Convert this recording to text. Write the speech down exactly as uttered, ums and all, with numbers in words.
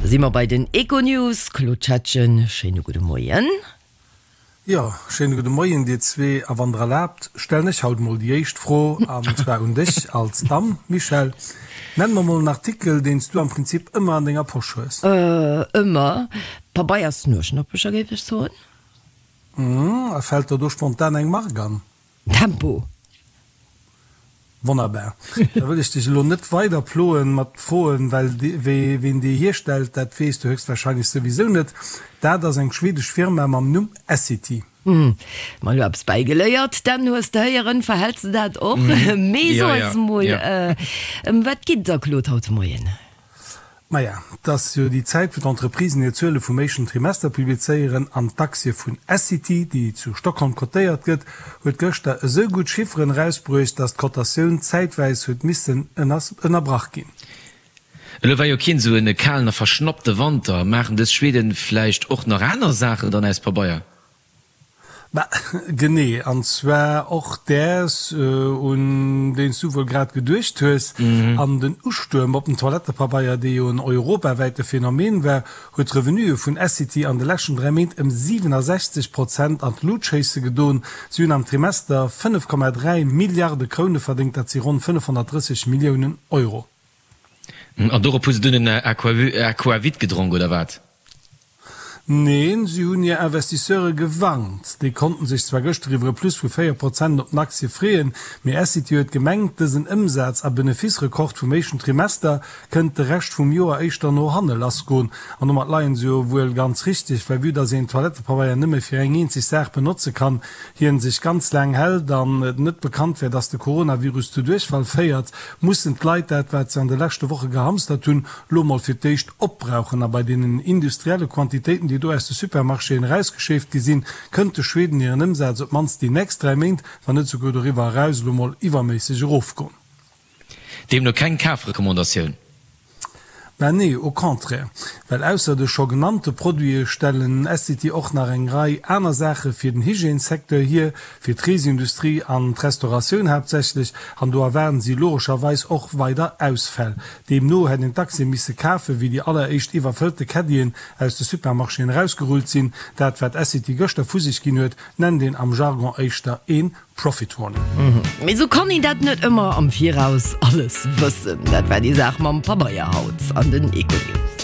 Da si mer bei den Econews. Claude Schettgen, schéine gudde Moien. Jo, schéine gudde Moien dir zwee. A wann der erlaabt, stellen ech haut mol déi éischt Fro, an zwar un dech als Damm, Michèle. Nenn mer mol en Artikel, deen s du am Prinzip ëmmer an denger Posch hues. Ëmmer? Pabeiersnueschnoppecher, géif ech soen. A fält der do spontan eng Mark an? Tempo. Wonnerbar. Da wëll ech dech elo net weider ploen mat Froen, well ween déi hierstellt, dat weess du höchstwahrscheinlech souwisou net. Dat ass eng schwedesch Firma mam Numm Essity. Hm, mer elo eppes bäigeléiert. Dan, hues de héieren, verhäls de dat och? Mee so eis mol, ëm wat geet et der, Claude, haut de Moien? Maja, et ass jo déi Zäit, wou d'Entreprisen hir Zuele vum éischten Trimester publizéieren an d'Aktie vun Essity, déi zu Stockholm kotéiert gëtt, huet gëschter esou gutt Chifferen erausbruecht, datt d'Kotatioun zäitwäis huet missen ënnerbrach ginn. Elo war jo keen esou e kalen a verschnappte Wanter. Maachen dës Schweden vläicht och nach aner Saachen dann aus Pabeier? Bah, genee, an zwar och däers, un deen s du wuel grad geduecht hues. An den Ustuerm op den Toilettepabeier, dee jo en europawäite Phänomen war, huet d'Revenuë vun Essity an de leschten dräi Méint ëm siwenasechzeg Prozent an d'Lut schéisse gedoen. Si hunn am Trimester fënnef Komma dräi Milliarde Kroune verdéngt, dat si ronn fënnefhonnertdrësseg Milliounen Euro. An dorop hu se dunn en Aquavit gedronk, oder wat? Neen, si hunn hir Investisseure gewarnt. Déi konnten sech zwar gëschter iwwer e Plus vu véier Prozent op den Aktie freeën, mee Essity huet gemengt, dësen Ëmsaz a Benefice-Rekord vum éischten Trimester kënnt de Rescht vum Joer éischter no hanne lassgoen. An domat leien se jo wuel ganz richteg, well vue dass een Toilettepabeier nëmme fir eng eenzeg Saach benotze kann, hien sech ganz laang hält an et net bekannt wär, dass de Coronavirus zu Duerchfall féiert, mussen d'Leit dat, wat se an de leschte Woche gehamstert hunn, lo mol fir d'éischt opbrauchen. A bei deenen industrielle Quantitéiten, déi do aus de Supermarchéen erausgeschéift gi sinn, kënnt de Schweden hiren Ëmsaz op d'mannst déi nächst dräi Méint, wann net souguer doriwwer eraus, elo mol iwwerméisseg erofgoen. Deemno keng Kafrecommandatioun. Mä nee, au contraire, well ausser de scho genannte Produite stellen Essity och nach eng Rei aner Saache fir den Hygiènesecteur hier, fir d'Reesindustrie an d'Restauratioun haaptsächlech, an do erwaarden si logescherweis och weider Ausfäll. Deemno hätt een d'Aktie misse kafen, wéi déi alleréischt iwwerfëllte Caddien aus de Supermarchéen erausgerullt sinn. Dat, wat Essity gëschter vu sech ginn huet, nennt een am Jargon éischter ee Profit Warning. Mee sou kann een dat net ëmmer am Viraus alles wëssen. Dat war déi Saach mam Pabeier haut an den Econews.